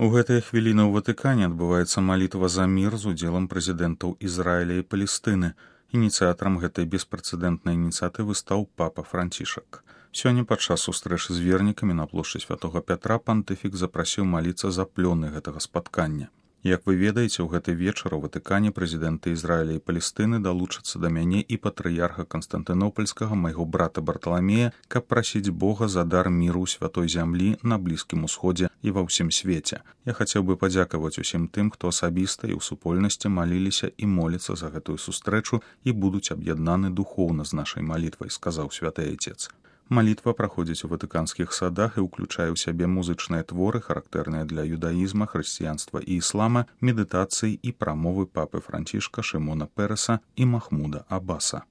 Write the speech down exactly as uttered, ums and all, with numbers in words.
У гэтыя хвіліны ў Ватыкане адбываецца малітва за мір з удзелам прэзідэнтаў Ізраіля і Палестыны. Ініцыятарам гэтай беспрэцэдэнтнай ініцыятывы стаў папа Францішак. Сёння падчас сустрэчы з вернікамі на плошчы Святога Пятра пантыфік запрасіў маліцца за плёны гэтага спаткання. Як вы ведаеце, у гэты вечар у Ватыкане прэзідэнты Ізраіля і Палестыны далучацца да мяне і патрыярха Канстантынопольскага, майго брата Барталамея, каб прасіць Бога за дар міру ў святой зямлі на Блізкім Усходзе і ва ўсім свеце. Я хацеў бы падзякаваць усім тым, хто асабіста і ў супольнасці маліліся і моліцца за гэтую сустрэчу і будуць аб'яднаны духоўна з нашай малітвай, сказаў святы айцец. Малітва праходзіць у ватыканскіх садах і ўключае ў сябе музычныя творы, характэрныя для юдаізма, хрысціянства і іслама, медытацыі і прамовы папы Францішка, Шымона Переса і Махмуда Аббаса.